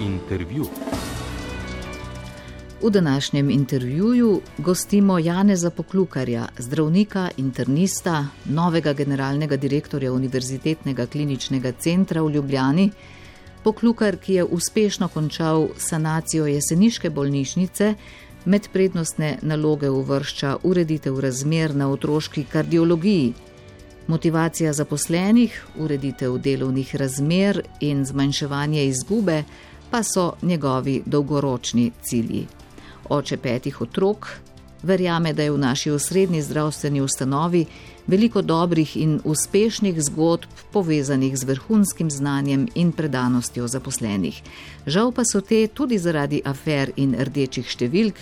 Intervju. V današnjem intervjuju gostimo Janeza Poklukarja, zdravnika, internista, novega generalnega direktorja Univerzitetnega kliničnega centra v Ljubljani. Poklukar, ki je uspešno končal sanacijo jeseniške bolnišnice, med prednostne naloge uvršča ureditev razmer na otroški kardiologiji. Motivacija zaposlenih, ureditev delovnih razmer in zmanjševanje izgube pa so njegovi dolgoročni cilji. Oče 5 otrok, verjame, da je v naši osrednji zdravstveni ustanovi veliko dobrih in uspešnih zgodb povezanih z vrhunskim znanjem in predanostjo zaposlenih. Žal pa so te tudi zaradi afer in rdečih številk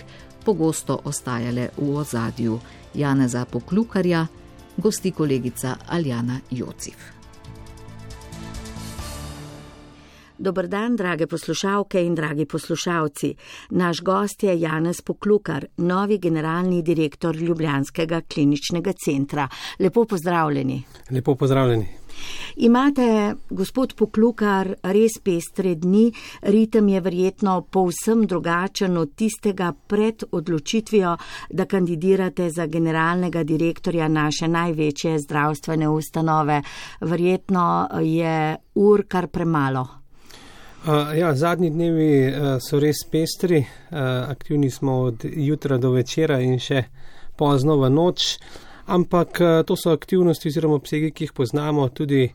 pogosto ostajale v ozadju. Janeza Poklukarja gosti kolegica Aljana Jocif. Dober dan, drage poslušalke in dragi poslušalci. Naš gost je Janez Poklukar, novi generalni direktor Ljubljanskega kliničnega centra. Lepo pozdravljeni. Lepo pozdravljeni. Imate, gospod Poklukar, res pestre dni. Ritem je verjetno povsem drugačen od tistega pred odločitvijo, da kandidirate za generalnega direktorja naše največje zdravstvene ustanove. Verjetno je ur kar premalo. Zadnji dnevi so res pestri, aktivni smo od jutra do večera in še pozno v noč, ampak to so aktivnosti oziroma obsegi, ki jih poznamo, tudi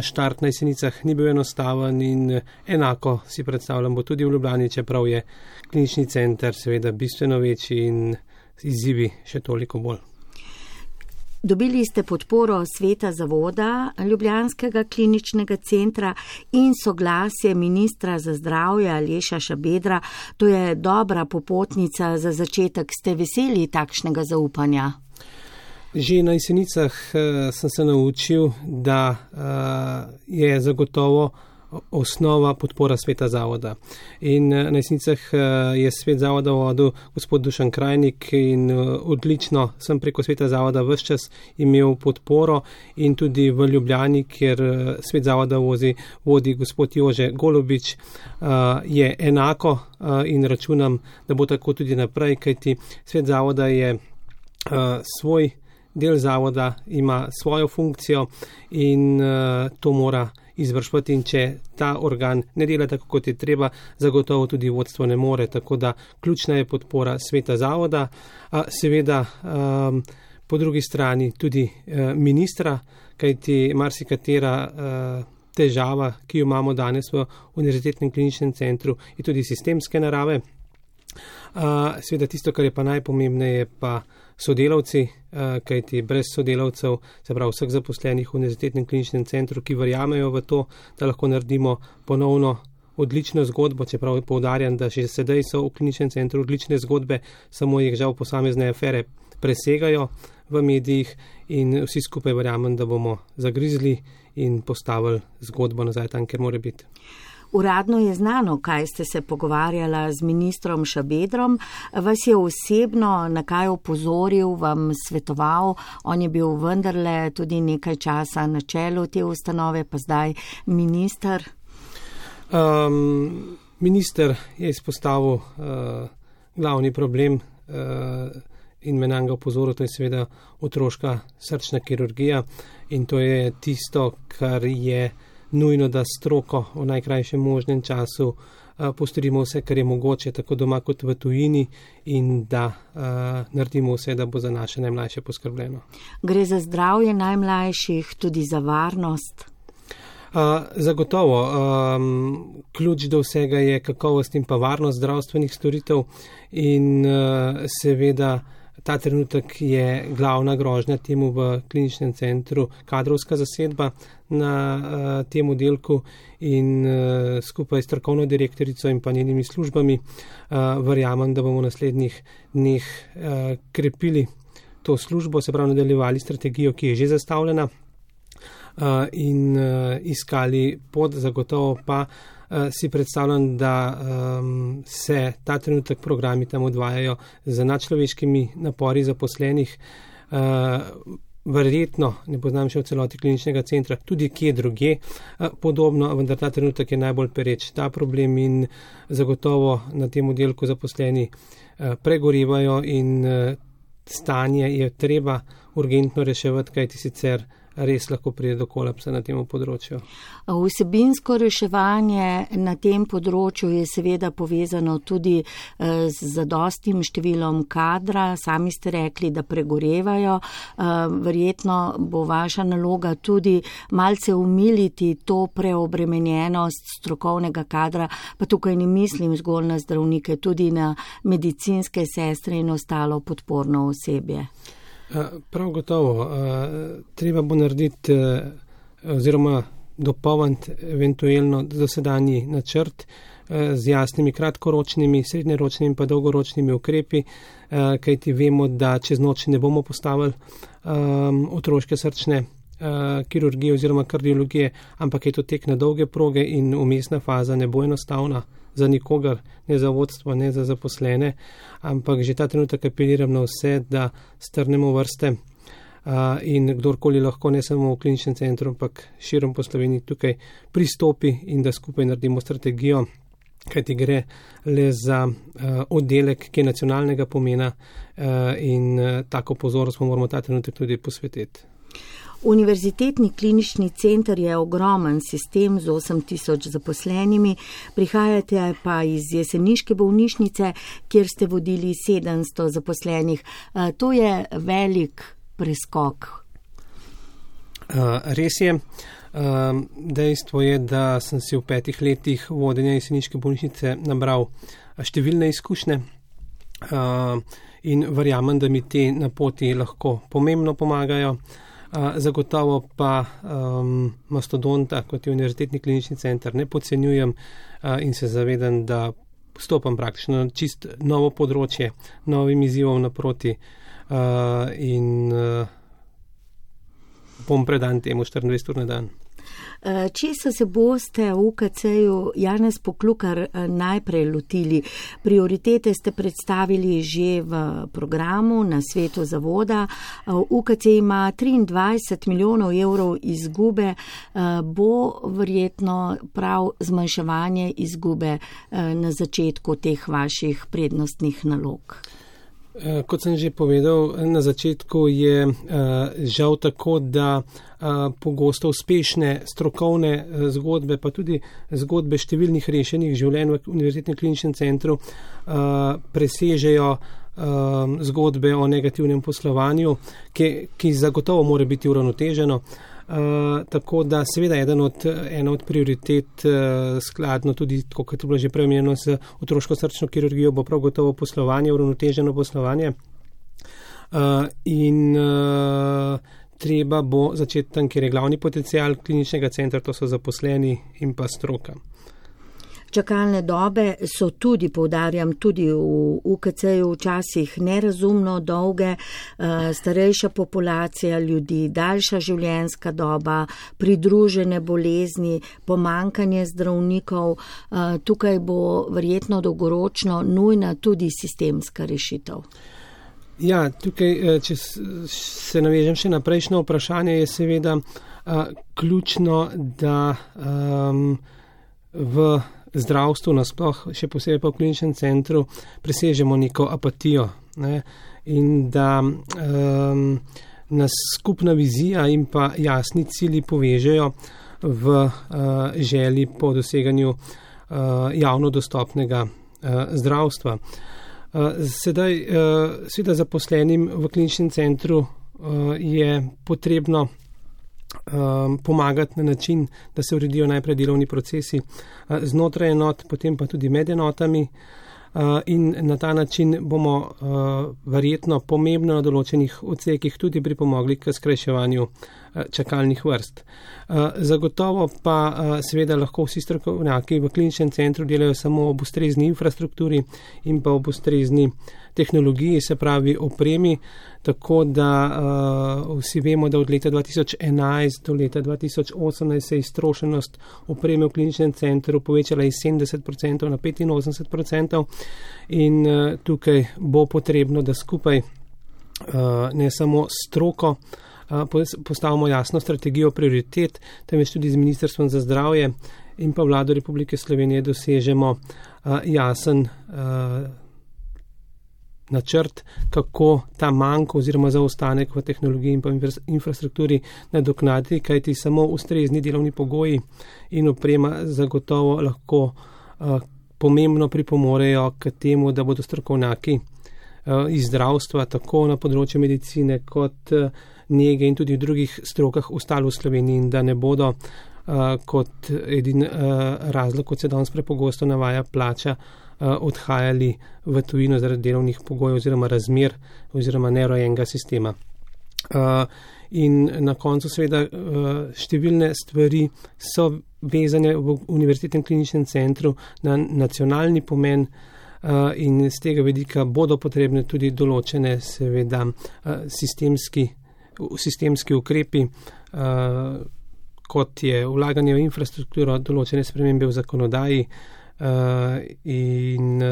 štart na Jesenicah ni bil enostaven in enako si predstavljam bo tudi v Ljubljani, čeprav je klinični center seveda bistveno večji in izzivi še toliko bolj. Dobili ste podporo sveta zavoda Ljubljanskega kliničnega centra in soglasje ministra za zdravje Aleša Šabedra. To je dobra popotnica za začetek. Ste veseli takšnega zaupanja? Že na Jesenicah sem se naučil, da je zagotovo osnova podpora sveta zavoda. In na Jesenicah je svet zavoda vodil gospod Dušan Krajnik in odlično sem preko sveta zavoda ves čas imel podporo in tudi v Ljubljani, kjer svet zavoda vodi gospod Jože Golobič, je enako in računam, da bo tako tudi naprej, kajti svet zavoda je svoj del zavoda, ima svojo funkcijo in to mora izvršvati, in če ta organ ne dela tako, kot je treba, zagotovo tudi vodstvo ne more, tako da ključna je podpora sveta zavoda, seveda po drugi strani tudi ministra, kajti marsikatera težava, ki jo imamo danes v Univerzitetnem kliničnem centru, je tudi sistemske narave. Seveda tisto, kar je pa najpomembneje, pa sodelavci, kajti brez sodelavcev, se pravi vseh zaposlenih v Univerzitetnem kliničnem centru, ki verjamejo v to, da lahko naredimo ponovno odlično zgodbo, čeprav poudarjam, da že sedaj so v kliničnem centru odlične zgodbe, samo jih žal posamezne afere presegajo v medijih in vsi skupaj verjamem, da bomo zagrizli in postavili zgodbo nazaj tam, kjer mora biti. Uradno je znano, kaj ste se pogovarjala z ministrom Šabedrom. Vas je osebno na kaj opozoril, vam svetoval? On je bil vendarle tudi nekaj časa na čelu te ustanove, pa zdaj minister. Minister je izpostavil glavni problem in me nanj ga opozoril, to je seveda otroška srčna kirurgija in to je tisto, kar je nujno, da stroko v najkrajšem možnem času postorimo vse, kar je mogoče, tako doma kot v tujini, in da naredimo vse, da bo za naše najmlajše poskrbljeno. Gre za zdravje najmlajših, tudi za varnost? Zagotovo. Ključ do vsega je kakovost in pa varnost zdravstvenih storitev in seveda ta trenutek je glavna grožnja temu v kliničnem centru kadrovska zasedba na tem oddelku in skupaj s strokovno direktorico in pa njenimi službami verjamem, da bomo v naslednjih dneh krepili to službo, se pravi nadaljevali strategijo, ki je že zastavljena in iskali pot, zagotovo pa si predstavljam, da se ta trenutek programi tam odvajajo z nadčloveškimi napori zaposlenih. verjetno, ne poznam še v celoti kliničnega centra, tudi kje druge podobno, vendar ta trenutek je najbolj pereč ta problem in zagotovo na tem oddelku zaposleni pregorevajo in stanje je treba urgentno reševati, kajti sicer res lahko pride do kolapsa na tem področju. Vsebinsko reševanje na tem področju je seveda povezano tudi z zadostnim številom kadra. Sami ste rekli, da pregorevajo. Verjetno bo vaša naloga tudi malce umiliti to preobremenjenost strokovnega kadra, pa tukaj ne mislim zgolj na zdravnike, tudi na medicinske sestre in ostalo podporno osebje. Prav gotovo. Treba bo narediti oziroma dopolniti eventualno dosedanji načrt z jasnimi kratkoročnimi, srednjeročnimi pa dolgoročnimi ukrepi, kajti vemo, da čez noč ne bomo postavili otroške srčne kirurgije oziroma kardiologije, ampak je to tek na dolge proge in vmesna faza ne bo enostavna za nikogar, ne za vodstvo, ne za zaposlene, ampak že ta trenutek apeliram na vse, da strnemo vrste in kdorkoli lahko, ne samo v kliničnem centru, ampak širom po Sloveniji tukaj pristopi in da skupaj naredimo strategijo, kajti gre le za oddelek, ki je nacionalnega pomena in tako pozornost moramo ta trenutek tudi posvetiti. Univerzitetni klinični center je ogromen sistem z 8000 zaposlenimi, prihajate pa iz jeseniške bolnišnice, kjer ste vodili 700 zaposlenih. To je velik preskok. Res je. Dejstvo je, da sem si v 5 letih vodenja jeseniške bolnišnice nabral številne izkušnje in verjamem, da mi te na poti lahko pomembno pomagajo. Zagotovo pa mastodonta, kot je Univerzitetni klinični center, ne podcenjujem in se zavedam, da vstopam praktično na čist novo področje, novim izzivom naproti in bom predan temu 24 ur na dan. Česa se boste v UKC-ju Janez Poklukar najprej lotili? Prioritete ste predstavili že v programu na svetu zavoda. UKC ima 23 milijonov evrov izgube. Bo verjetno prav zmanjševanje izgube na začetku teh vaših prednostnih nalog? Kot sem že povedal, na začetku je žal tako, da pogosto uspešne strokovne zgodbe, pa tudi zgodbe številnih rešenih življenj v Univerzitetnem kliničnem centru presežejo zgodbe o negativnem poslovanju, ki zagotovo mora biti uravnoteženo. Tako da seveda ena od prioritet skladno tudi, kot je bilo že preomenjeno, z otroško srčno kirurgijo bo prav gotovo poslovanje, uravnoteženo poslovanje in treba bo začeti tam, kjer je glavni potencial kliničnega centra, to so zaposleni in pa stroka. Čakalne dobe so tudi, poudarjam, tudi v UKC-ju včasih nerazumno dolge, starejša populacija ljudi, daljša življenjska doba, pridružene bolezni, pomanjkanje zdravnikov. Tukaj bo verjetno dolgoročno nujna tudi sistemska rešitev. Ja, tukaj, če se navežem še na prejšnje vprašanje, je seveda ključno, da v zdravstvu nasploh, še posebej pa v kliničnem centru, presežemo neko apatijo, ne, in da nas skupna vizija in pa jasni cilji povežejo v želji po doseganju javno dostopnega zdravstva. Sedaj, seveda zaposlenim v kliničnem centru je potrebno pomagati na način, da se uredijo najprej delovni procesi znotraj enot, potem pa tudi med enotami in na ta način bomo verjetno pomembno na določenih odsekih tudi pripomogli k skrajševanju čakalnih vrst. Zagotovo pa seveda lahko vsi strokovnjaki v kliničnem centru delajo samo ob ustrezni infrastrukturi in pa ob ustrezni tehnologiji, se pravi opremi, tako da vsi vemo, da od leta 2011 do leta 2018 se je iztrošenost opreme v kliničnem centru povečala iz 70% na 85% in tukaj bo potrebno, da skupaj ne samo stroko, postavimo jasno strategijo prioritet, temveč tudi z Ministrstvom za zdravje in pa Vlado Republike Slovenije dosežemo jasen načrt, kako ta manko oziroma zaostanek v tehnologiji in pa infrastrukturi nadoknaditi, kajti samo ustrezni delovni pogoji in oprema zagotovo lahko pomembno pripomorejo k temu, da bodo strokovnjaki iz zdravstva, tako na področju medicine kot nege in tudi v drugih strokah ostali v Sloveniji in da ne bodo kot edin razlog, kot se danes prepogosto navaja, plača, odhajali v tujino zaradi delovnih pogojev oziroma razmer oziroma neurejenega sistema. In na koncu seveda številne stvari so vezane v Univerzitetnem kliničnem centru na nacionalni pomen in z tega vidika bodo potrebne tudi določene seveda sistemski ukrepi, kot je vlaganje v infrastrukturo, določene spremembe v zakonodaji in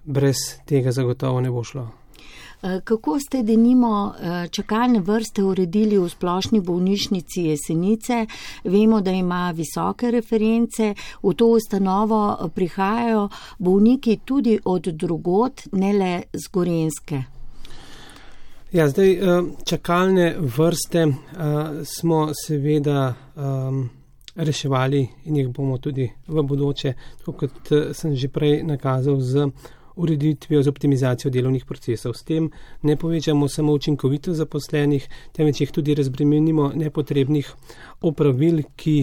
brez tega zagotovo ne bo šlo. Kako ste denimo čakalne vrste uredili v Splošni bolnišnici Jesenice? Vemo, da ima visoke reference, v to ustanovo prihajajo bolniki tudi od drugod, ne le z Gorenjske. Ja, zdaj čakalne vrste smo seveda reševali in jih bomo tudi v bodoče, tako kot sem že prej nakazal, z ureditvijo, z optimizacijo delovnih procesov. S tem ne povečamo samo učinkovitost zaposlenih, temveč jih tudi razbremenimo nepotrebnih opravil, ki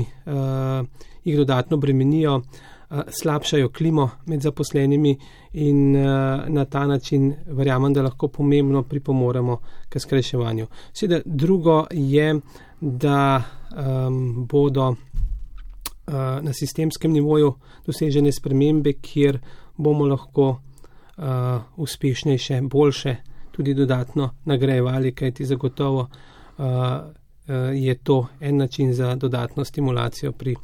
jih dodatno bremenijo, slabšajo klimo med zaposlenimi in na ta način verjamem, da lahko pomembno pripomoremo k skrajševanju. Seveda drugo je, da bodo na sistemskem nivoju dosežene spremembe, kjer bomo lahko uspešnejše, boljše tudi dodatno nagrajevali, kajti zagotovo je to en način za dodatno stimulacijo pri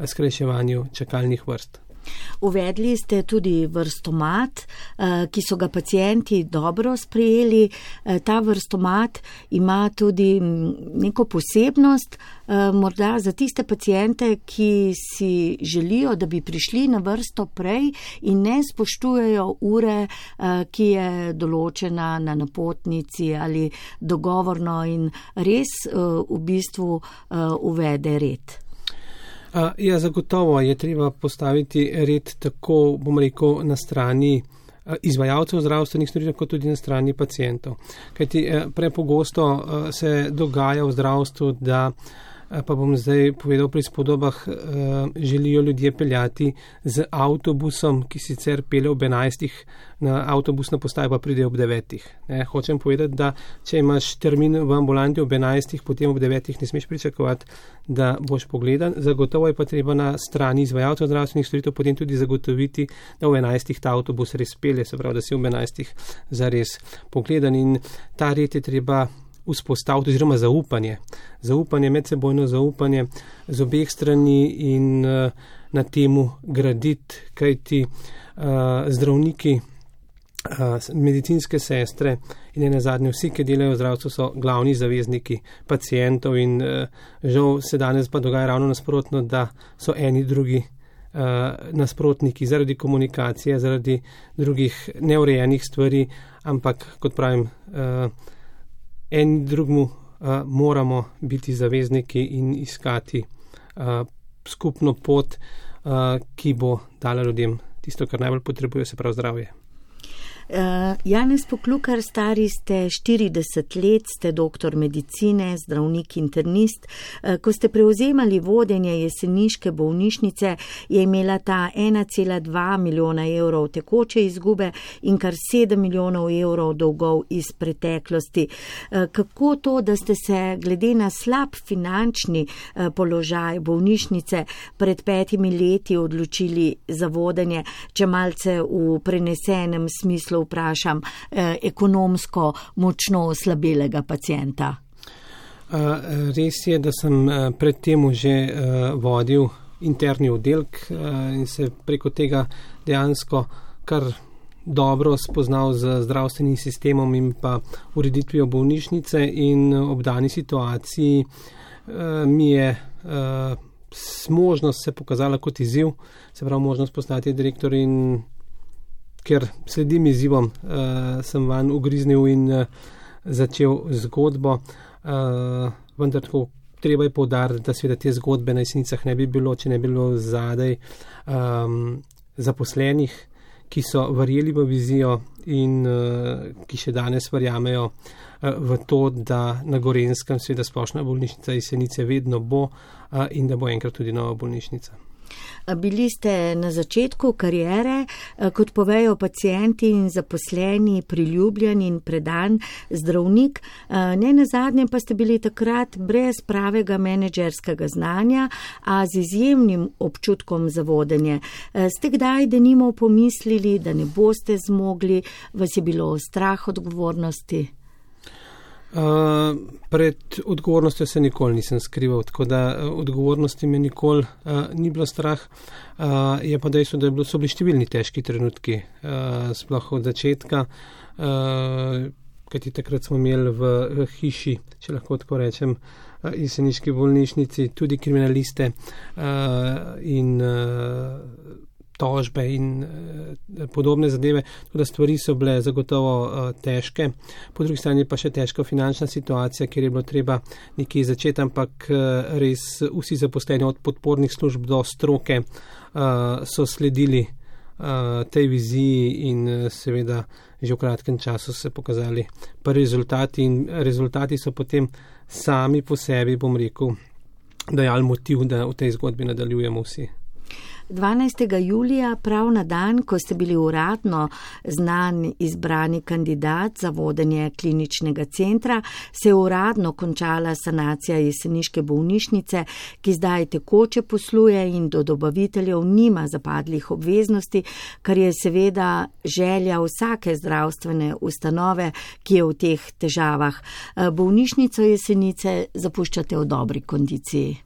skrajševanju čakalnih vrst. Uvedli ste tudi vrstomat, ki so ga pacienti dobro sprejeli. Ta vrstomat ima tudi neko posebnost, morda za tiste paciente, ki si želijo, da bi prišli na vrsto prej in ne spoštujejo ure, ki je določena na napotnici ali dogovorno in res v bistvu uvede red. Ja, zagotovo je treba postaviti red tako, bom rekel, na strani izvajalcev zdravstvenih storitev, kot tudi na strani pacientov. Kajti prepogosto se dogaja v zdravstvu, da, pa bom zdaj povedal pri spodobah, želijo ljudje peljati z avtobusom, ki sicer pelje ob 11, na avtobusno postajo pa pride ob 9. Hočem povedati, da če imaš termin v ambulanti ob 11, potem ob 9 ne smeš pričakovati, da boš pogledan. Zagotovo je pa treba na strani izvajalcev zdravstvenih storitev potem tudi zagotoviti, da v 11 ta avtobus res pelje, se pravi, da si ob 11 zares pogledan in ta red je treba vzpostaviti oziroma zaupanje, medsebojno zaupanje z obeh strani in na temu graditi, kajti zdravniki, medicinske sestre in nenazadnje vsi, ki delajo v zdravstvu, so glavni zavezniki pacientov in žal se danes pa dogaja ravno nasprotno, da so eni drugi nasprotniki zaradi komunikacije, zaradi drugih neurejenih stvari, ampak kot pravim, en drugmu moramo biti zavezniki in iskati skupno pot, ki bo dala ljudem tisto, kar najbolj potrebuje, se pravi zdravje. Janez Poklukar, stari ste 40 let, ste doktor medicine, zdravnik internist. Ko ste prevzemali vodenje jeseniške bolnišnice, je imela ta 1,2 milijona evrov tekoče izgube in kar 7 milijonov evrov dolgov iz preteklosti. Kako to, da ste se glede na slab finančni položaj bolnišnice pred 5 leti odločili za vodenje, če malce v prenesenem smislu vprašam, ekonomsko močno oslabelega pacienta? Res je, da sem predtem že vodil interni oddelek in se preko tega dejansko kar dobro spoznal z zdravstvenim sistemom in pa ureditvijo bolnišnice in ob dani situaciji mi je možnost se pokazala kot izziv, se pravi možnost postati direktor in ker sledim izzivom, sem van ugriznil in začel zgodbo, vendar tako treba je poudariti, da seveda te zgodbe na Jesenicah ne bi bilo, če ne bi bilo zadaj zaposlenih, ki so verjeli v vizijo in ki še danes verjamejo v to, da na Gorenjskem seveda splošna bolnišnica Jesenice vedno bo in da bo enkrat tudi nova bolnišnica. Bili ste na začetku kariere, kot povejo pacienti in zaposleni, priljubljen in predan zdravnik, ne nazadnje pa ste bili takrat brez pravega menedžerskega znanja, a z izjemnim občutkom za vodenje. Ste kdaj denimo pomislili, da ne boste zmogli, vas je bilo strah odgovornosti? Pred odgovornostjo se nikoli nisem skrival, tako da odgovornosti me nikoli ni bilo strah. Je pa dejstvo, da so bili številni težki trenutki, sploh od začetka, kajti takrat smo imeli v hiši, če lahko tako rečem, jeseniški bolnišnici, tudi kriminaliste in tožbe in podobne zadeve, tako da stvari so bile zagotovo težke. Po drugi strani pa še težka finančna situacija, kjer je bilo treba nekje začeti, ampak res vsi zaposleni od podpornih služb do stroke so sledili tej viziji in seveda že v kratkem času se pokazali pa rezultati in rezultati so potem sami po sebi, bom rekel, dajali motiv, da v tej zgodbi nadaljujemo vsi. 12. julija, prav na dan, ko ste bili uradno znan izbrani kandidat za vodenje kliničnega centra, se je uradno končala sanacija jeseniške bolnišnice, ki zdaj tekoče posluje in do dobaviteljev nima zapadlih obveznosti, kar je seveda želja vsake zdravstvene ustanove, ki je v teh težavah. Bolnišnico Jesenice zapuščate v dobri kondiciji.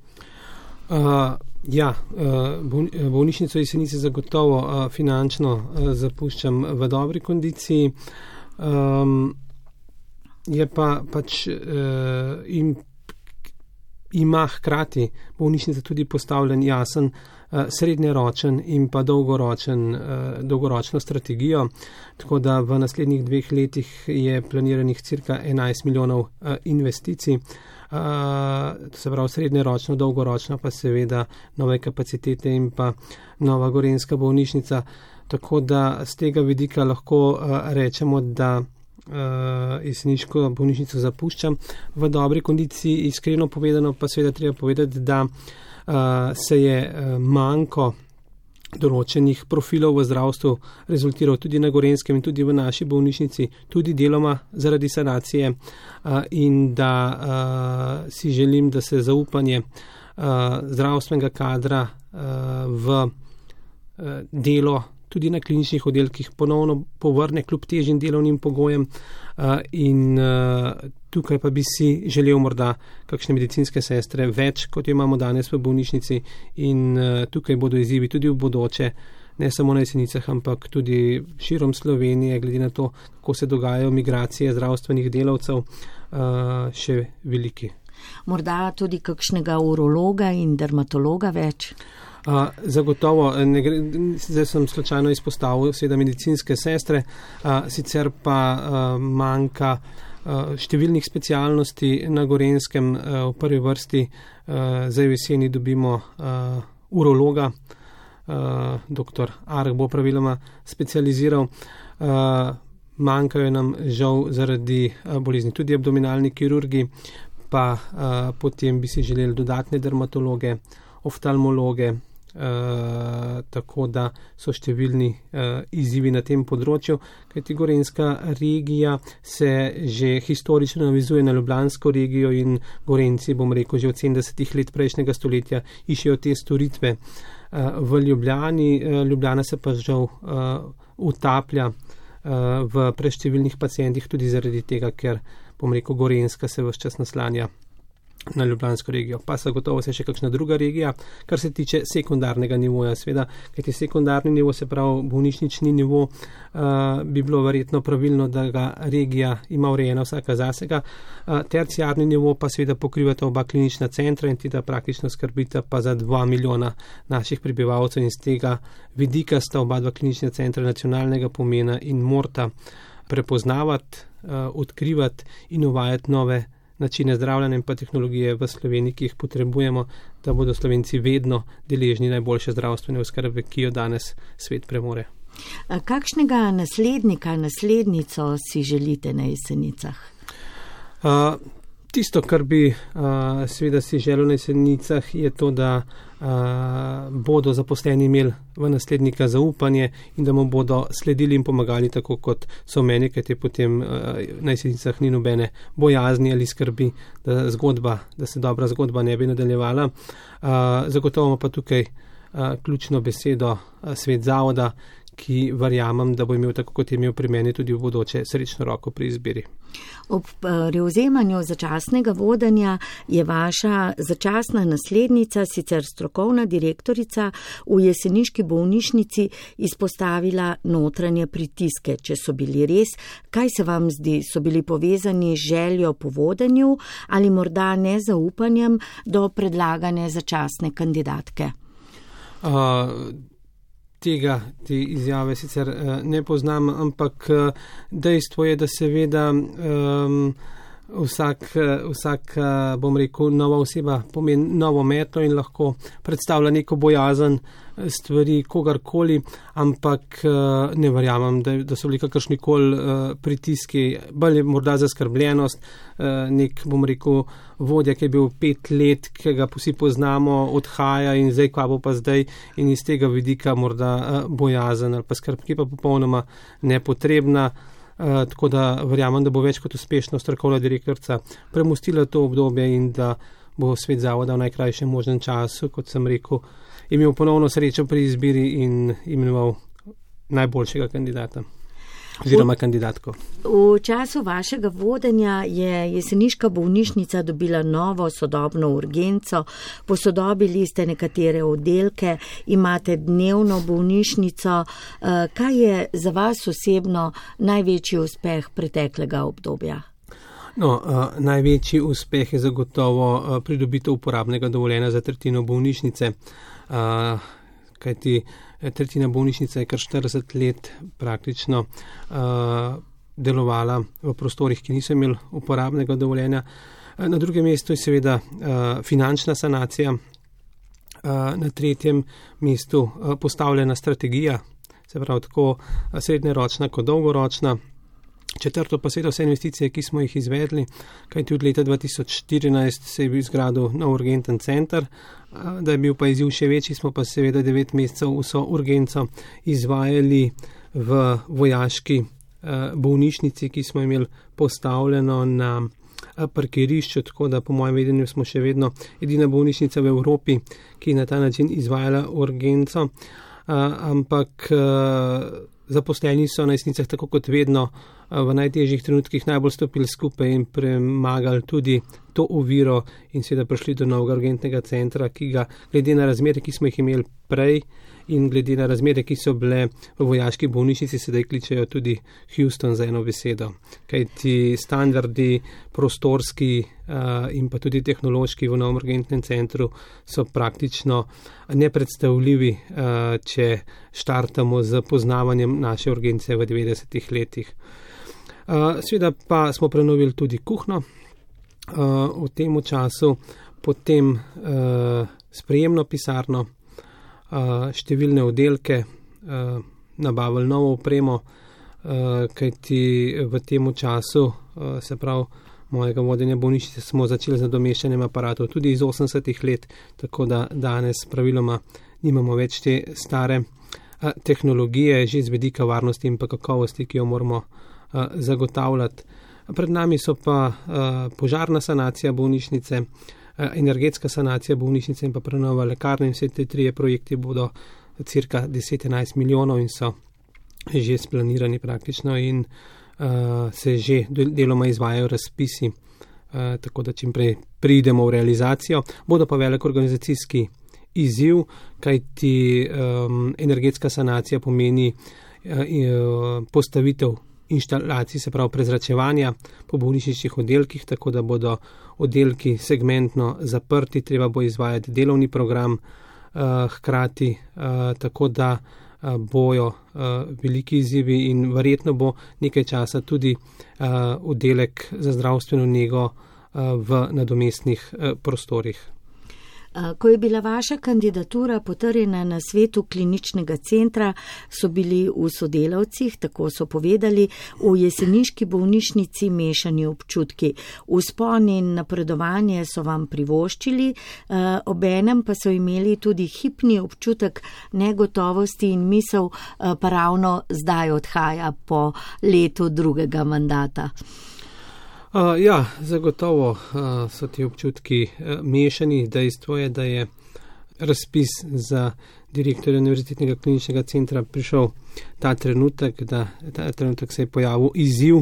Bolnišnico Jesenice zagotovo finančno zapuščam v dobri kondiciji. Je pa pač ima hkrati bolnišnica tudi postavljen jasen srednjeročen in pa dolgoročno strategijo, tako da v naslednjih 2 letih je planiranih cirka 11 milijonov investicij. To se pravi srednjeročno, dolgoročno pa seveda nove kapacitete in pa nova gorenjska bolnišnica, tako da z tega vidika lahko rečemo, da jeseniško bolnišnico zapuščam v dobri kondiciji. Iskreno povedano pa seveda treba povedati, da se je manko določenih profilov v zdravstvu rezultiral tudi na Gorenjskem in tudi v naši bolnišnici, tudi deloma zaradi sanacije in da si želim, da se zaupanje zdravstvenega kadra v delo tudi na kliničnih oddelkih ponovno povrne kljub težjim delovnim pogojem in tukaj pa bi si želel morda kakšne medicinske sestre več, kot jo imamo danes v bolnišnici in tukaj bodo izzivi tudi v bodoče, ne samo na Jesenicah, ampak tudi širom Slovenije, glede na to, kako se dogajajo migracije zdravstvenih delavcev, še veliki. Morda tudi kakšnega urologa in dermatologa več? Zagotovo, zdaj sem slučajno izpostavil seveda medicinske sestre, sicer pa manjka številnih specialnosti na Gorenjskem. V prvi vrsti zdaj v jeseni dobimo urologa, dr. Arh bo praviloma specializiral. Manjkajo nam žal zaradi bolezni tudi abdominalni kirurgi, pa potem bi si želeli dodatne dermatologe, oftalmologe, tako da so številni izzivi na tem področju, kajti gorenjska regija se že historično navizuje na ljubljansko regijo in Gorenjci, bom rekel, že od 70 let prejšnjega stoletja iščejo te storitve v Ljubljani. Ljubljana se pa žal utaplja v preštevilnih pacientih tudi zaradi tega, ker, bom rekel, Gorenjska se ves čas naslanja na ljubljansko regijo. Pa zagotovo se še kakšna druga regija, kar se tiče sekundarnega nivoja. Sveda, kajti sekundarni nivo, se pravi bolnišnični nivo, bi bilo verjetno pravilno, da ga regija ima urejena vsaka zasega. Terciarni nivo pa seveda pokrivata oba klinična centra in da praktično skrbita pa za 2 milijona naših prebivalcev in z tega vidika sta oba dva klinična centra nacionalnega pomena in morata prepoznavati, odkrivati in uvajati nove načine zdravljenja in pa tehnologije v Sloveniji, ki jih potrebujemo, da bodo Slovenci vedno deležni najboljše zdravstvene oskrbe, ki jo danes svet premore. Kakšnega naslednico si želite na Jesenicah? Tisto, kar bi seveda si želel na Jesenicah, je to, da bodo zaposleni imeli v naslednika zaupanje in da mu bodo sledili in pomagali tako, kot so meni, kajti potem na Jesenicah ni nobene bojazni ali skrbi, da se dobra zgodba ne bi nadaljevala. Zagotovo pa tukaj ključno besedo svet zavoda, ki verjamem, da bo imel tako, kot je imel pri meni, tudi v bodoče srečno roko pri izbiri. Ob prevzemanju začasnega vodenja je vaša začasna naslednica, sicer strokovna direktorica v jeseniški bolnišnici, izpostavila notranje pritiske. Če so bili res, kaj se vam zdi, so bili povezani z željo po vodenju ali morda nezaupanjem do predlagane začasne kandidatke? Te izjave sicer ne poznam, ampak dejstvo je, da seveda vsak, bom rekel, nova oseba pomeni novo metlo in lahko predstavlja neko bojazen stvari kogarkoli, ampak ne verjamem, da so bili kakršnikoli pritiski, bolj morda zaskrbljenost, nek, bom rekel, vodja, ki je bil 5 let, ki ga vsi poznamo, odhaja in zdaj, kva bo pa zdaj, in iz tega vidika morda bojazen ali pa skrb, ki pa popolnoma nepotrebna. Tako da verjamem, da bo več kot uspešno strokovna direktorica premostila to obdobje in da bo svet zavoda v najkrajšem možnem času, kot sem rekel, imel ponovno srečo pri izbiri in imenoval najboljšega kandidata oziroma kandidatko. V času vašega vodenja je jeseniška bolnišnica dobila novo sodobno urgenco, posodobili ste nekatere oddelke, imate dnevno bolnišnico. Kaj je za vas osebno največji uspeh preteklega obdobja? Največji uspeh je zagotovo pridobitev uporabnega dovoljenja za tretjino bolnišnice, kajti tretjina bolnišnice je kar 40 let praktično delovala v prostorih, ki niso imeli uporabnega dovoljenja. Na drugem mestu je seveda finančna sanacija, na tretjem mestu postavljena strategija, se pravi tako srednjeročna kot dolgoročna. Četrto pa seveda vse investicije, ki smo jih izvedli, kajti od leta 2014 se je bil zgradil nov urgenten center, da je bil pa izziv še večji, smo pa seveda 9 mesecev vso urgenco izvajali v vojaški bolnišnici, ki smo imeli postavljeno na parkirišču, tako da po mojem vedenju smo še vedno edina bolnišnica v Evropi, ki je na ta način izvajala urgenco, ampak zaposleni so na Jesenicah tako kot vedno v najtežjih trenutkih najbolj stopili skupaj in premagali tudi to oviro in seveda prišli do novega urgentnega centra, ki ga glede na razmere, ki smo jih imeli prej in glede na razmere, ki so bile v vojaški bolnišnici, sedaj kličejo tudi Houston za eno besedo. Kajti standardi prostorski in pa tudi tehnološki v novem urgentnem centru so praktično nepredstavljivi, če štartamo z poznavanjem naše urgence v 90-ih letih. Seveda pa smo prenovili tudi kuhno v tem času, potem sprejemno pisarno, številne oddelke, nabavili novo opremo, kajti v tem času, se pravi mojega vodenja bolnišnice, smo začeli z nadomeščanjem aparatov tudi iz 80-ih let, tako da danes praviloma nimamo več te stare tehnologije, že z vidika varnosti in pa kakovosti, ki jo moramo zagotavljati. Pred nami so pa požarna sanacija bolnišnice, energetska sanacija bolnišnice in pa prenova lekarne in vse te 3 projekti bodo cirka 10-11 milijonov in so že splanirani praktično in se že deloma izvajajo razpisi tako da čim prej pridemo v realizacijo. Bodo pa velik organizacijski izziv, kajti energetska sanacija pomeni postavitev inštalacij, se pravi prezračevanja po bolnišničnih oddelkih, tako da bodo oddelki segmentno zaprti, treba bo izvajati delovni program hkrati, tako da bojo veliki izzivi in verjetno bo nekaj časa tudi oddelek za zdravstveno nego v nadomestnih prostorih. Ko je bila vaša kandidatura potrjena na svetu kliničnega centra, so bili v sodelavcih, tako so povedali, v jeseniški bolnišnici mešani občutki. Vzpon in napredovanje so vam privoščili, obenem pa so imeli tudi hipni občutek negotovosti in misel, pa ravno zdaj odhaja po letu drugega mandata. Ja, zagotovo so ti občutki mešani. Dejstvo je, da je razpis za direktorja Univerzitetnega kliničnega centra prišel ta trenutek se je pojavil izziv,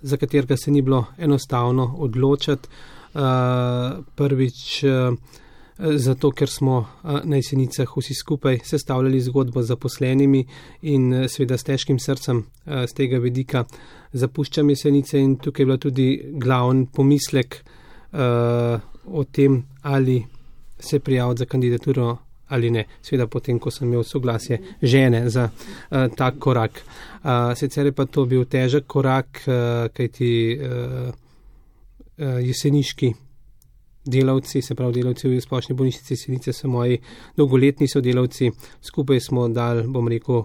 za katerega se ni bilo enostavno odločati. Prvič zato, ker smo na Jesenicah vsi skupaj sestavljali zgodbo z zaposlenimi in seveda s težkim srcem z tega vidika zapuščam Jesenice in tukaj je bila tudi glavni pomislek o tem, ali se prijaviti za kandidaturo ali ne. Seveda potem, ko sem imel soglasje žene za tak korak. Sicer je pa to bil težek korak, kajti jeseniški delavci, se pravi delavci v splošni bolnišnici Jesenice so moji dolgoletni sodelavci. Skupaj smo dali, bom rekel,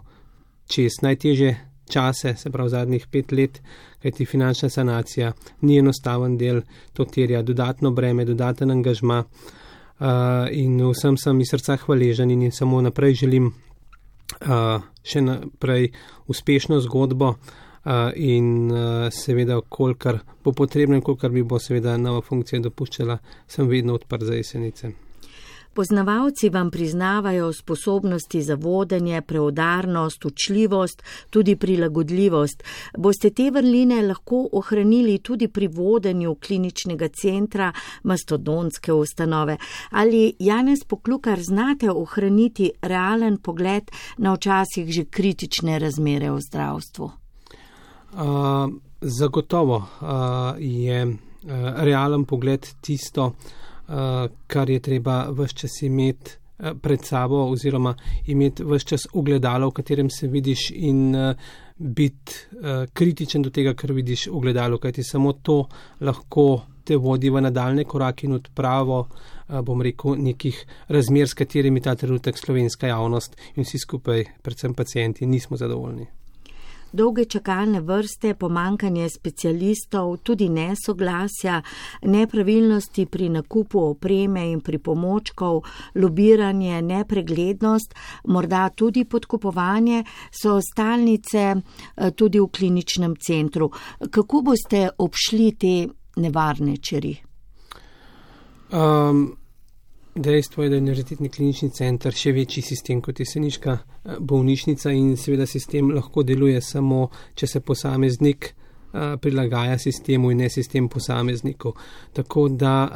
čez najtežje čase, se pravi zadnjih 5 let, kajti finančna sanacija ni enostaven del, to terja dodatno breme, dodaten angažma in vsem sem iz srca hvaležen in samo naprej želim še naprej uspešno zgodbo in seveda, kolikor bo potrebno in kolikor mi bo seveda nova funkcija dopuščala, sem vedno odprt za Jesenice. Poznavalci vam priznavajo sposobnosti za vodenje, preudarnost, učljivost, tudi prilagodljivost. Boste te vrline lahko ohranili tudi pri vodenju kliničnega centra, mastodontske ustanove? Ali, Janez Poklukar, znate ohraniti realen pogled na včasih že kritične razmere v zdravstvu? Zagotovo je realen pogled tisto, kar je treba ves čas imeti pred sabo oziroma imeti ves čas ogledalo, v katerem se vidiš in biti kritičen do tega, kar vidiš v ogledalu, kajti samo to lahko te vodi v nadaljne korake in odpravo, bom rekel, nekih razmer, s katerimi ta trenutek slovenska javnost in vsi skupaj, predvsem pacienti, nismo zadovoljni. Dolge čakalne vrste, pomankanje specialistov, tudi nesoglasja, nepravilnosti pri nakupu opreme in pripomočkov, lobiranje, nepreglednost, morda tudi podkupovanje so stalnice tudi v kliničnem centru. Kako boste obšli te nevarne čeri? Dejstvo je, da je Univerzitetni klinični center še večji sistem kot jeseniška bolnišnica in seveda sistem lahko deluje samo, če se posameznik prilagaja sistemu in ne sistem posameznikov. Tako da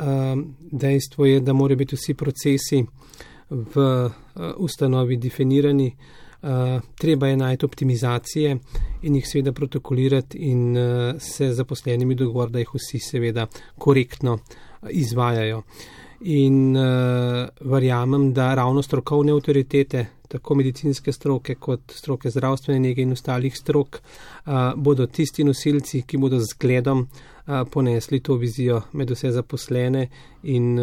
dejstvo je, da morajo biti vsi procesi v ustanovi definirani. Treba je najti optimizacije in jih seveda protokolirati in se zaposlenimi dogovor, da jih vsi seveda korektno izvajajo. In verjamem, da ravno strokovne avtoritete, tako medicinske stroke kot stroke zdravstvene nege in ostalih strok, bodo tisti nosilci, ki bodo z zgledom ponesli to vizijo med vse zaposlene in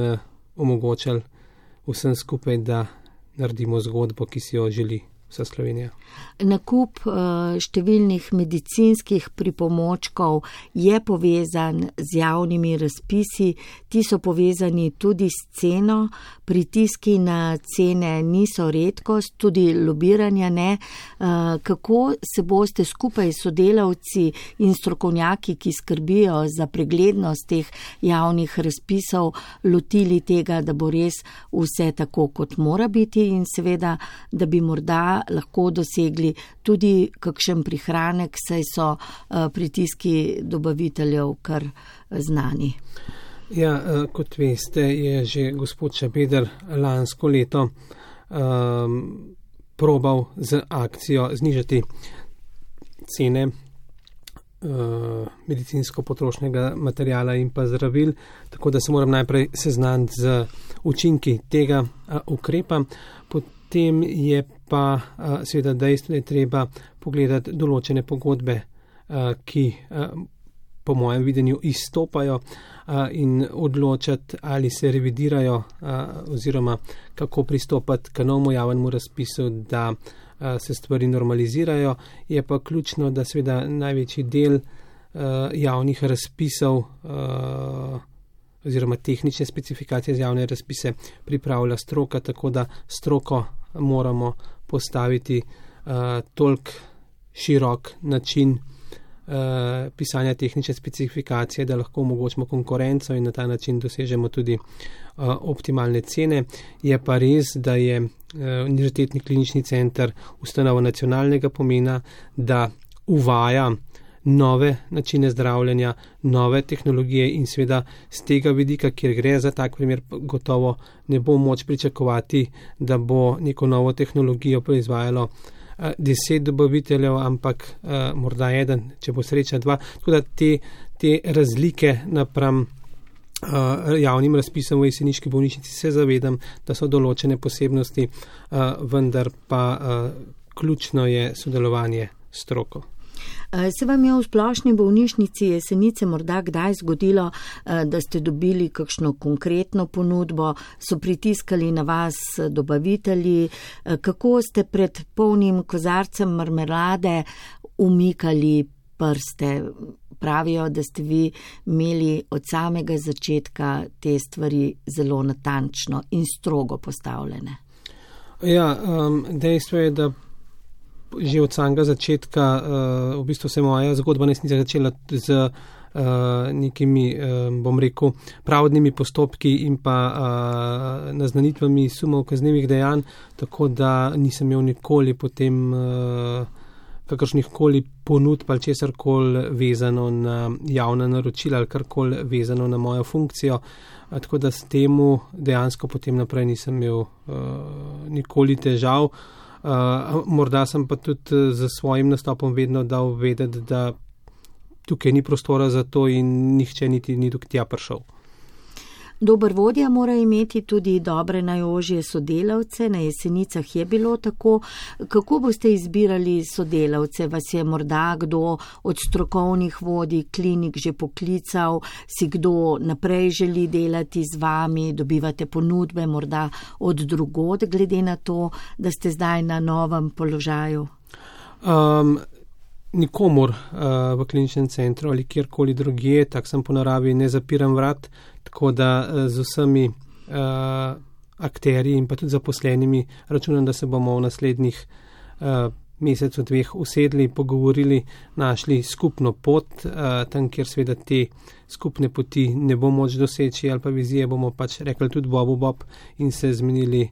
omogočali vsem skupaj, da naredimo zgodbo, ki si jo želi vsa Slovenija. Nakup številnih medicinskih pripomočkov je povezan z javnimi razpisi, ti so povezani tudi s ceno, pritiski na cene niso redkost, tudi lobiranja ne. Kako se boste skupaj s sodelavci in strokovnjaki, ki skrbijo za preglednost teh javnih razpisov, lotili tega, da bo res vse tako, kot mora biti in seveda, da bi morda lahko dosegli tudi kakšen prihranek, saj so pritiski dobaviteljev kar znani. Ja, kot veste, je že gospod Šabeder lansko leto probal z akcijo znižati cene medicinsko-potrošnega materijala in pa zdravil, tako da se moram najprej seznaniti z učinki tega ukrepa. Potem je pa seveda dejstvo, da je treba pogledati določene pogodbe, ki po mojem videnju izstopajo in odločati, ali se revidirajo oziroma kako pristopati k novemu javnemu razpisu, da se stvari normalizirajo. Je pa ključno, da seveda največji del javnih razpisov oziroma tehnične specifikacije za javne razpise pripravlja stroka, tako da stroko moramo postaviti toliko širok način pisanja tehnične specifikacije, da lahko omogočimo konkurenco in na ta način dosežemo tudi optimalne cene. Je pa res, da je Univerzitetni klinični center ustanova nacionalnega pomena, da uvaja nove načine zdravljenja, nove tehnologije in seveda z tega vidika, kjer gre za tak primer, gotovo ne bo moč pričakovati, da bo neko novo tehnologijo proizvajalo 10 dobaviteljev, ampak morda eden, če bo sreča 2. Tako da te razlike napram javnim razpisom v Jeseniški bolnišnici se zavedam, da so določene posebnosti, vendar pa ključno je sodelovanje s stroko. Se vam je v splošni bolnišnici Jesenice morda kdaj zgodilo, da ste dobili kakšno konkretno ponudbo, so pritiskali na vas dobavitelji, kako ste pred polnim kozarcem marmelade umikali prste? Pravijo, da ste vi imeli od samega začetka te stvari zelo natančno in strogo postavljene. Ja, dejstvo je, da že od samega začetka v bistvu se moja zgodba nesnica začela z nekimi, bom rekel, pravdnimi postopki in pa naznanitvami sumov kaznivih dejanj, tako da nisem imel nikoli potem kakršnih koli ponudb ali česarkoli vezano na javna naročila ali karkoli vezano na mojo funkcijo, tako da s temu dejansko potem naprej nisem imel nikoli težav. Morda sem pa tudi za svojim nastopom vedno dal vedeti, da tukaj ni prostora za to in nihče niti ni do tja prišel. Dober vodja mora imeti tudi dobre najožje sodelavce, na Jesenicah je bilo tako. Kako boste izbirali sodelavce? Vas je morda kdo od strokovnih vodij klinik že poklical, si kdo naprej želi delati z vami, dobivate ponudbe morda od drugod, glede na to, da ste zdaj na novem položaju? Nikomur v kliničnem centru ali kjerkoli drugje, tak sem po naravi, ne zapiram vrat, tako da z vsemi akterji in pa tudi zaposlenimi računam, da se bomo v naslednjih mesecu, 2 usedli, pogovorili, našli skupno pot, tam, kjer seveda te skupne poti ne bo moč doseči ali pa vizije, bomo pač rekli tudi Bob in se zmenili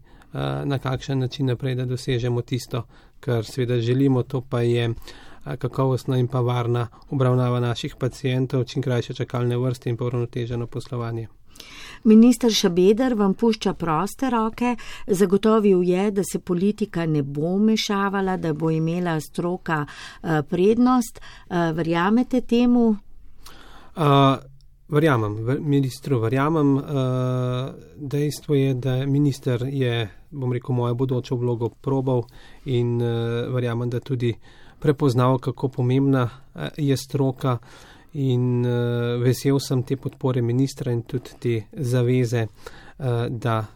na kakšen način naprej, da dosežemo tisto, kar seveda želimo, to pa je kakovostna in pa varna obravnava naših pacientov, čim krajše čakalne vrste in pa uravnoteženo poslovanje. Minister Šabeder vam pušča proste roke, zagotovil je, da se politika ne bo mešavala, da bo imela stroka prednost. Verjamete temu? Verjamem, ministru verjamem. Dejstvo je, da minister je, bom rekel, mojo bodočo vlogo probal in verjamem, da tudi prepoznal, kako pomembna je stroka in vesel sem te podpore ministra in tudi te zaveze, da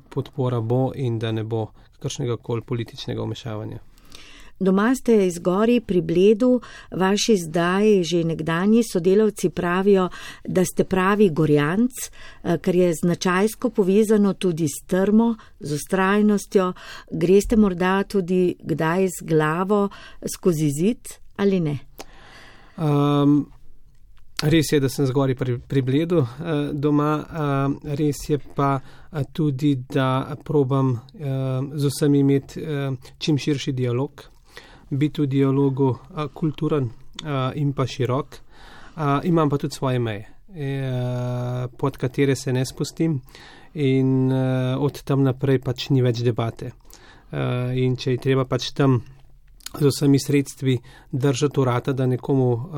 podpora bo in da ne bo kakršnega koli političnega vmešavanja. Doma ste iz Gori pri Bledu, vaši zdaj že nekdanji sodelavci pravijo, da ste pravi Gorjanc, kar je značajsko povezano tudi s trmo, z vztrajnostjo. Greste morda tudi kdaj z glavo skozi zid ali ne? Res je, da sem zgori pri Bledu doma, res je pa tudi, da probam z vsemi imeti čim širši dialog, biti v dialogu kulturen in pa širok. Imam pa tudi svoje meje, pod katere se ne spustim in od tam naprej pač ni več debate. In če je treba pač tam z vsemi sredstvi držati urata, da nekomu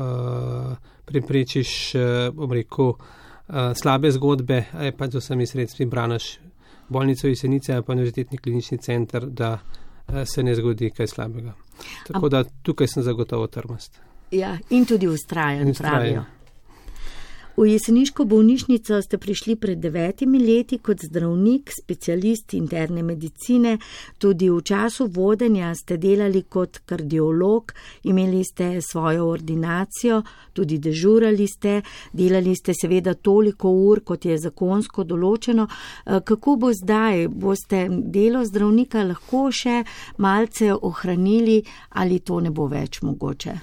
preprečiš, slabe zgodbe, pač z vsemi sredstvi braniš bolnico Jesenice pa Univerzitetni klinični center, da se ne zgodi kaj slabega. Tako da tukaj sem zagotovo trmast. Ja, in tudi vztrajen, pravijo. V jeseniško bolnišnico ste prišli pred 9 leti kot zdravnik, specialist interne medicine. Tudi v času vodenja ste delali kot kardiolog, imeli ste svojo ordinacijo, tudi dežurali ste, delali ste seveda toliko ur, kot je zakonsko določeno. Kako bo zdaj? Boste delo zdravnika lahko še malce ohranili ali to ne bo več mogoče?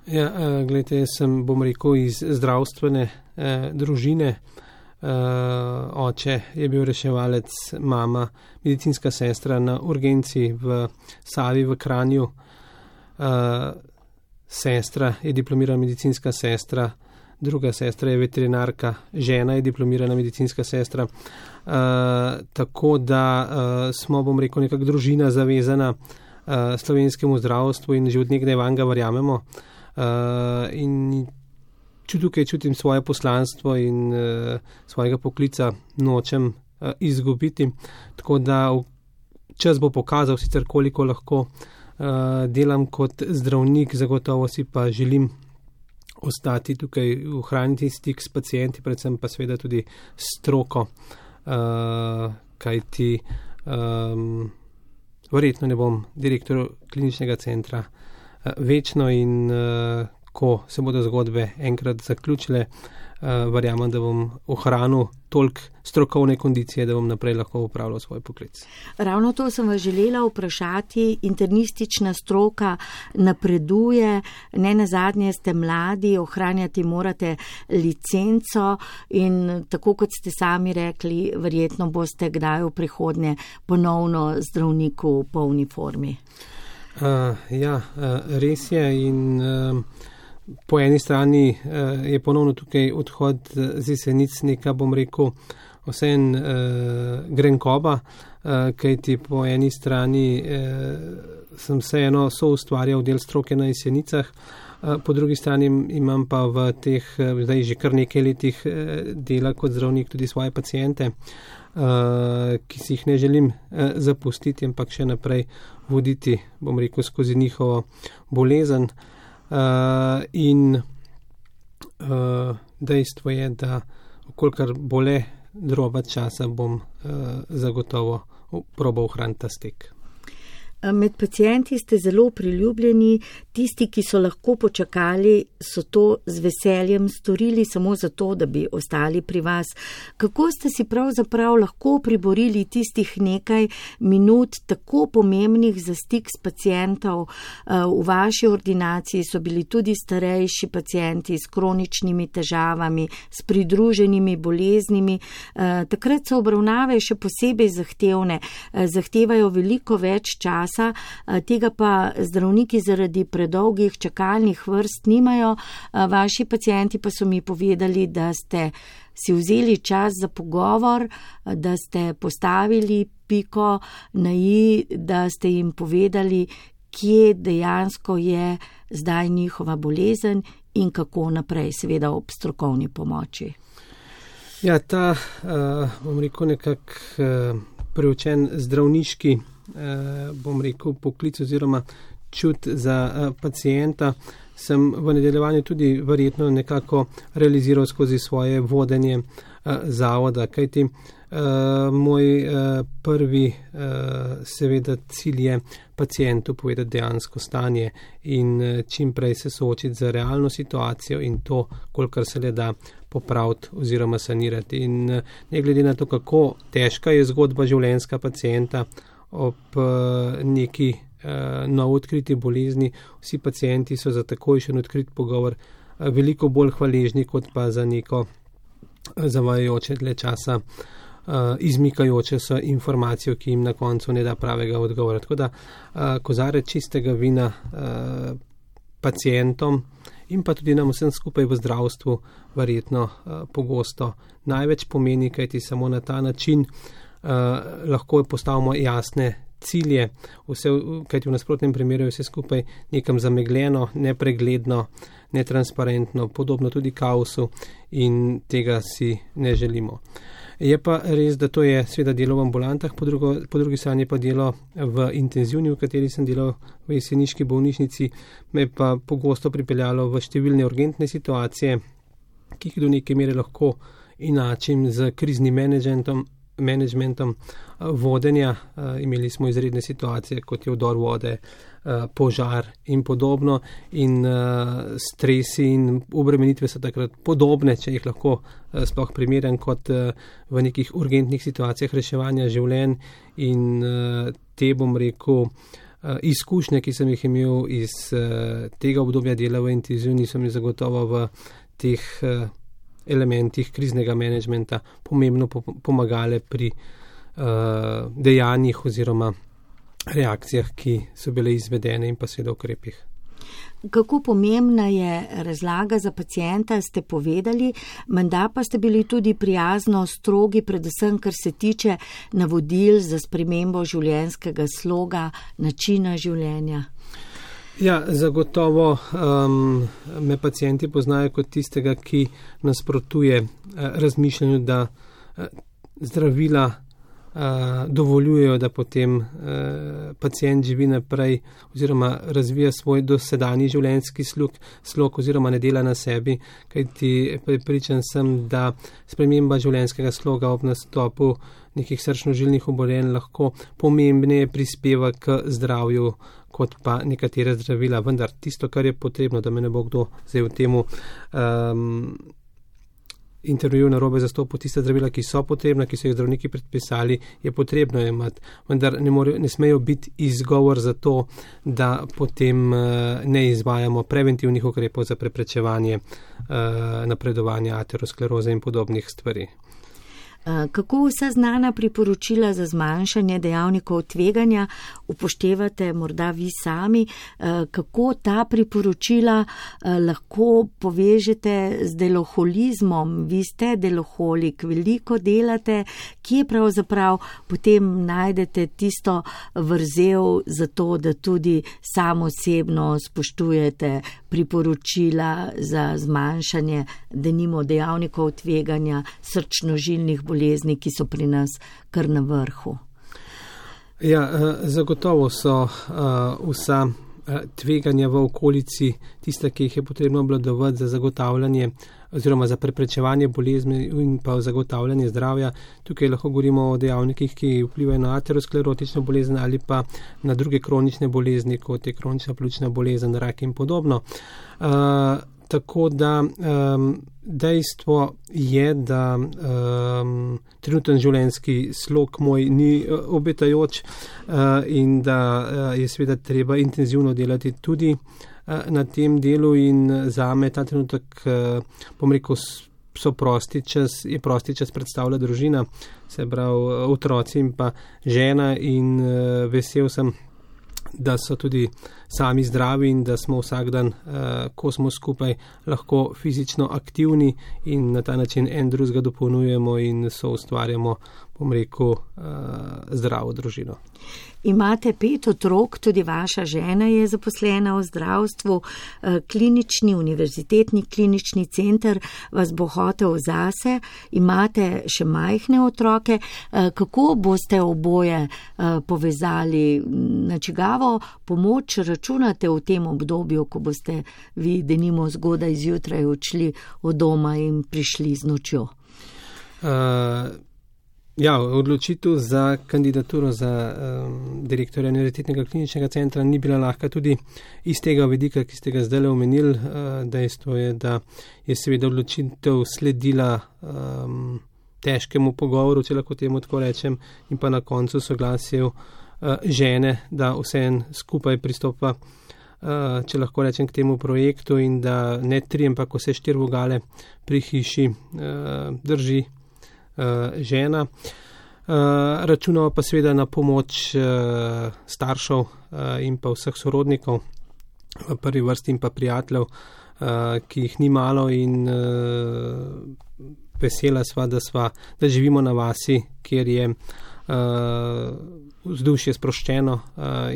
Ja, gledajte, jaz sem, iz zdravstvene družine. Oče je bil reševalec, mama medicinska sestra na urgenci v Savi v Kranju. Sestra je diplomirana medicinska sestra, druga sestra je veterinarka, žena je diplomirana medicinska sestra. Tako da smo, nekako družina zavezana slovenskemu zdravstvu in že od nekdaj vanga verjamemo. In tukaj čutim svoje poslanstvo in svojega poklica nočem izgubiti. Tako da čas bo pokazal sicer koliko lahko delam kot zdravnik, zagotovo si pa želim ostati tukaj, ohraniti stik s pacienti, predvsem pa seveda tudi stroko, kajti verjetno ne bom direktor kliničnega centra večno in ko se bodo zgodbe enkrat zaključile, verjamem, da bom ohranil toliko strokovne kondicije, da bom naprej lahko upravljal svoj poklic. Ravno to sem vas želela vprašati. Internistična stroka napreduje, ne nazadnje ste mladi, ohranjati morate licenco in tako kot ste sami rekli, verjetno boste kdaj v prihodnje ponovno zdravnik v polni formi. Res je in po eni strani je ponovno tukaj odhod z Jesenic neka, vseen grenkoba, kajti po eni strani sem vseeno soustvarjal del stroke na Jesenicah, po drugi strani imam pa v teh zdaj že kar nekaj letih dela kot zdravnik tudi svoje paciente, ki si jih ne želim zapustiti, ampak še naprej voditi, skozi njihovo bolezen. In dejstvo je, da okolikor bole droba časa, bom zagotovo probal ohraniti ta stik. Med pacienti ste zelo priljubljeni, tisti, ki so lahko počakali, so to z veseljem storili samo zato, da bi ostali pri vas. Kako ste si pravzaprav lahko priborili tistih nekaj minut tako pomembnih za stik s pacientov? V vaši ordinaciji so bili tudi starejši pacienti s kroničnimi težavami, s pridruženimi boleznimi. Takrat so obravnave še posebej zahtevne, zahtevajo veliko več časa, tega pa zdravniki zaradi predolgih čakalnih vrst nimajo. Vaši pacienti pa so mi povedali, da ste si vzeli čas za pogovor, da ste postavili piko na i, da ste jim povedali, kje dejansko je zdaj njihova bolezen in kako naprej, seveda ob strokovni pomoči. Ja, ta, preučen zdravniški poklic oziroma čut za pacienta sem v nadaljevanju tudi verjetno nekako realiziral skozi svoje vodenje zavoda, kajti moj prvi seveda cilj je pacientu povedati dejansko stanje in čim prej se soočiti z realno situacijo in to, kolikor se le da popraviti oziroma sanirati. In ne glede na to, kako težka je zgodba življenjska pacienta, ob neki novo odkriti bolezni, vsi pacienti so za takojšen odkrit pogovor veliko bolj hvaležni, kot pa za neko zavajajoče dlje časa izmikajoče so informacijo, ki jim na koncu ne da pravega odgovora. Tako da kozarec čistega vina pacientom in pa tudi nam vsem skupaj v zdravstvu verjetno pogosto največ pomeni, kajti samo na ta način lahko postavimo jasne cilje, kajti v nasprotnem primeru je vse skupaj nekam zamegljeno, nepregledno, netransparentno, podobno tudi kaosu in tega si ne želimo. Je pa res, da to je seveda delo v ambulantah, po drugi strani pa delo v intenzivni, v kateri sem delal v jeseniški bolnišnici, me pa pogosto pripeljalo v številne urgentne situacije, ki jih do neke mere lahko enačim z kriznim menedžmentom vodenja. Imeli smo izredne situacije, kot je vdor vode, požar in podobno, in stresi in obremenitve so takrat podobne, če jih lahko sploh primerjam, kot v nekih urgentnih situacijah reševanja življenj, in te, bom rekel, izkušnje, ki sem jih imel iz tega obdobja dela v intenzivni, so mi zagotovo v teh elementih kriznega menedžmenta pomembno pomagale pri dejanjih oziroma reakcijah, ki so bile izvedene, in pa seveda ukrepih. Kako pomembna je razlaga za pacienta, ste povedali, menda pa ste bili tudi prijazno strogi, predvsem kar se tiče navodil za spremembo življenjskega sloga, načina življenja. Ja, zagotovo me pacienti poznajo kot tistega, ki nasprotuje razmišljanju, da zdravila dovoljujejo, da potem pacient živi naprej oziroma razvija svoj dosedanji življenjski slog oziroma ne dela na sebi, kajti prepričan sem, da sprememba življenjskega sloga ob nastopu nekih srčno-žilnih obolenj lahko pomembneje prispeva k zdravju kot pa nekatera zdravila. Vendar tisto, kar je potrebno, da me ne bo kdo zdaj v temu intervjuju narobe zastopil, tiste zdravila, ki so potrebna, ki so jih zdravniki predpisali, je potrebno imati, vendar ne smejo biti izgovor za to, da potem ne izvajamo preventivnih ukrepov za preprečevanje napredovanja ateroskleroze in podobnih stvari. Kako vsa znana priporočila za zmanjšanje dejavnikov tveganja upoštevate morda vi sami, kako ta priporočila lahko povežete z deloholizmom? Vi ste deloholik, veliko delate, kje pravzaprav potem najdete tisto vrzel za to, da tudi samo osebno spoštujete priporočila za zmanjšanje denimo dejavnikov tveganja srčno-žilnih bolezni, ki so pri nas kar na vrhu? Ja, zagotovo so vsa tveganja v okolici tista, ki jih je potrebno obvladovati za zagotavljanje oziroma za preprečevanje bolezni in pa zagotavljanje zdravja. Tukaj lahko govorimo o dejavnikih, ki vplivajo na aterosklerotično bolezen ali pa na druge kronične bolezni, kot je kronična pljučna bolezen, rak in podobno. Tako da dejstvo je, da trenuten življenjski slog moj ni obetajoč in da je seveda treba intenzivno delati tudi na tem delu, in zame ta trenutek, bom rekel, je prosti čas predstavlja družina, se pravi otroci in pa žena, in vesel sem, da so tudi sami zdravi in da smo vsak dan, ko smo skupaj, lahko fizično aktivni in na ta način en drugega dopolnjujemo in soustvarjamo, bom rekel, zdravo družino. Imate 5 otrok, tudi vaša žena je zaposlena v zdravstvu, klinični, univerzitetni klinični center vas bo hotel zase, imate še majhne otroke. Kako boste oboje povezali, na čigavo pomoč računate v tem obdobju, ko boste vi denimo zgodaj zjutraj odšli od doma in prišli z nočjo? Ja, odločitev za kandidaturo za direktorja Univerzitetnega kliničnega centra ni bila lahka tudi iz tega vidika, ki ste ga zdaj omenili. Dejstvo je, da je seveda odločitev sledila težkemu pogovoru, če lahko temu tako rečem, in pa na koncu soglasju žene, da vseeno skupaj pristopa če lahko rečem, k temu projektu in da ne 3, ampak vse 4 vogale pri hiši drži žena. Računamo pa seveda na pomoč staršev in pa vseh sorodnikov v prvi vrsti in pa prijateljev, ki jih ni malo, in vesela sva, da živimo na vasi, kjer je vzdušje sproščeno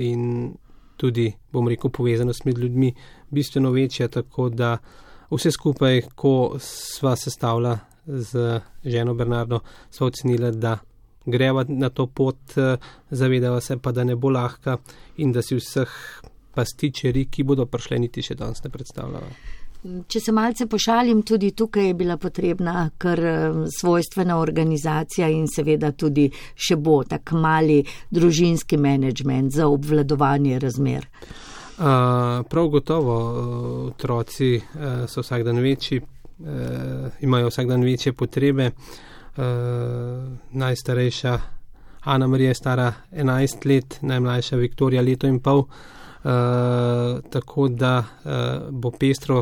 in tudi, bom rekel, povezanost med ljudmi bistveno večja, tako da vse skupaj, ko sva sestavila z ženo Bernardo, sva ocenila, da greva na to pot, zavedava se pa, da ne bo lahka in da si vseh pastičeri, ki bodo prišli, niti še danes ne predstavljava. Če se malce pošalim, tudi tukaj je bila potrebna kar svojstvena organizacija in seveda tudi še bo tak mali družinski menedžment za obvladovanje razmer. Prav gotovo, otroci so vsak dan večji, imajo vsak dan večje potrebe. Najstarejša Ana Marija je stara 11 let, najmlajša Viktorija 1,5 leta, tako da bo pestro.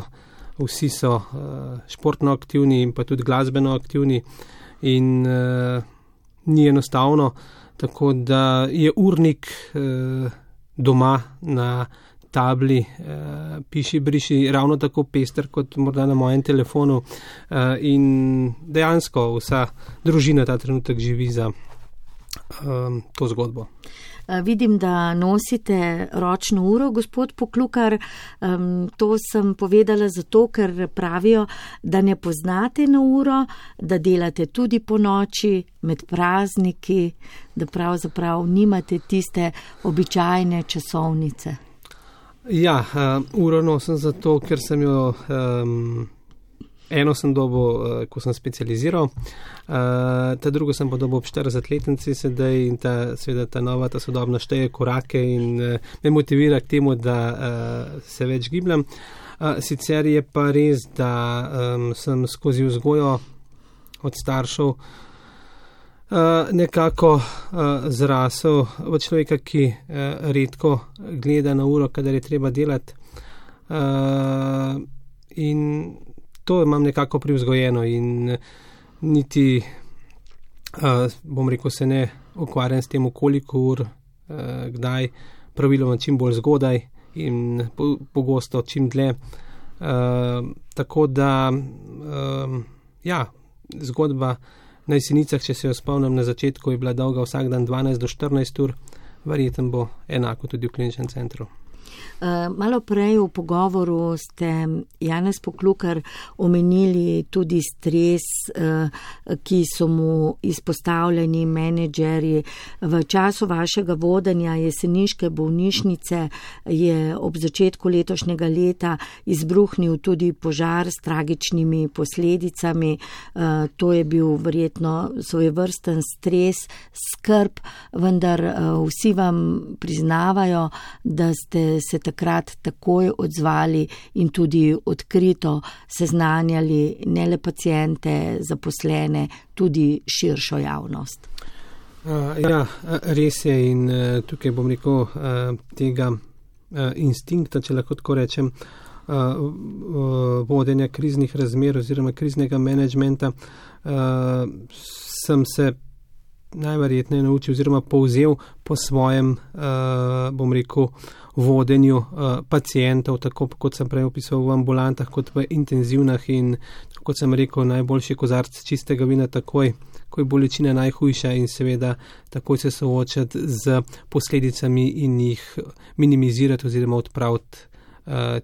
Vsi so športno aktivni in pa tudi glasbeno aktivni in ni enostavno, tako da je urnik doma na tabli piši, briši ravno tako pester kot morda na mojem telefonu, in dejansko vsa družina ta trenutek živi za to zgodbo. Vidim, da nosite ročno uro, gospod Poklukar. To sem povedala zato, ker pravijo, da ne poznate na uro, da delate tudi po noči, med prazniki, da pravzaprav nimate tiste običajne časovnice. Ja, uro nosim zato, ker sem jo eno sem dobil, ko sem specializiral, ta drugo sem pa dobil ob 40-letnici sedaj in seveda ta nova, ta sodobna šteje korake in me motivira k temu, da se več gibljam. Sicer je pa res, da sem skozi vzgojo od staršev nekako zrasel v človeka, ki redko gleda na uro, kadar je treba delati, in to imam nekako privzgojeno in niti, bom rekel, se ne ukvarjam s tem, koliko ur, kdaj, praviloma čim bolj zgodaj in pogosto čim dlje. Tako da, ja, zgodba na Jesenicah, če se jo spomnim na začetku, je bila dolga vsak dan 12 do 14 ur, verjetno bo enako tudi v kliničnem centru. Malo prej v pogovoru ste, Janez Poklukar, omenili tudi stres, ki so mu izpostavljeni menedžerji. V času vašega vodenja jeseniške bolnišnice je ob začetku letošnjega leta izbruhnil tudi požar s tragičnimi posledicami. To je bil verjetno svojevrsten stres, skrb, vendar vsi vam priznavajo, da ste se takrat takoj odzvali in tudi odkrito seznanjali ne le paciente, zaposlene, tudi širšo javnost. Ja, res je, in tukaj bom rekel tega instinkta, če lahko tako rečem, vodenja kriznih razmer oziroma kriznega menedžmenta, sem se najverjetneje naučil oziroma povzel po svojem, bom rekel, vodenju pacientov, tako kot sem prej opisoval v ambulantah, kot v intenzivnah, in kot sem rekel, najboljši kozarc čistega vina takoj, ko je bolečina najhujša, in seveda takoj se soočati z posledicami in jih minimizirati oziroma odpraviti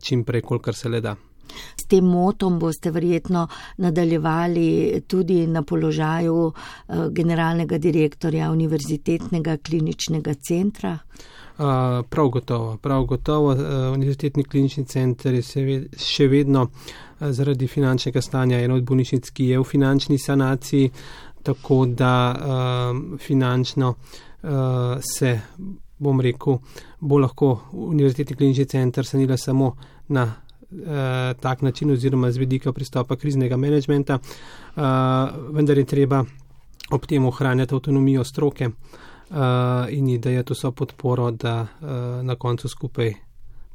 čim prej, kolikor se le da. S tem motom boste verjetno nadaljevali tudi na položaju generalnega direktorja Univerzitetnega kliničnega centra? Prav gotovo. Univerzitetni klinični center je še vedno zaradi finančnega stanja ena od bolnišnic, ki je v finančni sanaciji, tako da finančno se, bom rekel, bo lahko Univerzitetni klinični center sanila samo na tak način oziroma z vidika pristopa kriznega menedžmenta, vendar je treba ob tem ohranjati avtonomijo stroke in ji dajati vso podporo, da na koncu skupaj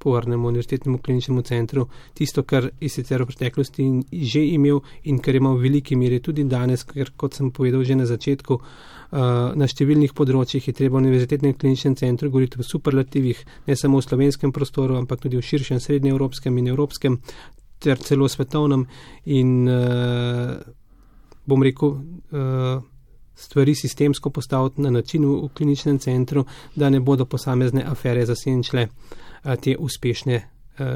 povrnemo Univerzitetnemu kliničnemu centru tisto, kar je sicer v preteklosti že imel in kar ima v veliki meri tudi danes, ker kot sem povedal že na začetku, na številnih področjih je treba v Univerzitetnem kliničnem centru govoriti v superlativih, ne samo v slovenskem prostoru, ampak tudi v širšem srednjeevropskem in evropskem ter celo svetovnem in bom rekel, stvari sistemsko postaviti na način v kliničnem centru, da ne bodo posamezne afere zasenčile te uspešne,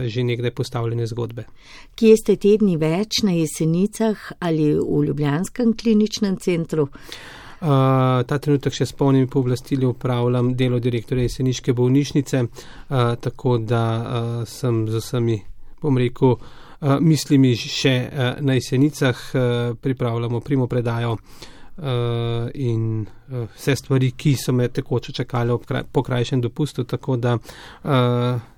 že nekdaj postavljene zgodbe. Kje ste te dni več, na Jesenicah ali v ljubljanskem kliničnem centru? Ta trenutek še s polnimi pooblastili upravljam delo direktorja jeseniške bolnišnice, tako da sem z vsemi, bom rekel, mislimi še na Jesenicah, pripravljamo primopredajo in vse stvari, ki so me tekoče čakale po krajšem dopustu, tako da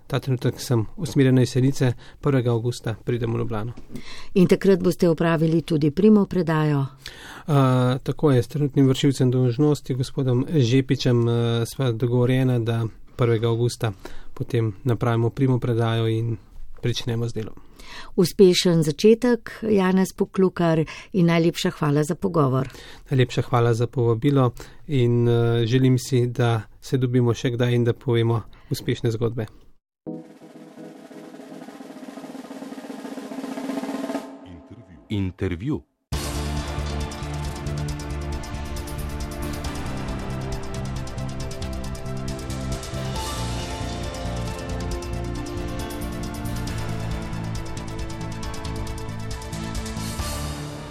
ta trenutek sem usmerjen na Jesenice, 1. avgusta pridem v Ljubljano. In takrat boste opravili tudi primopredajo? Tako je, s trenutnim vršilcem dolžnosti, gospodom Žepičem, sva dogovorjena, da 1. avgusta potem napravimo primopredajo in pričnemo z delom. Uspešen začetek, Janez Poklukar, in najlepša hvala za pogovor. Najlepša hvala za povabilo in želim si, da se dobimo še kdaj in da povemo uspešne zgodbe. Intervju.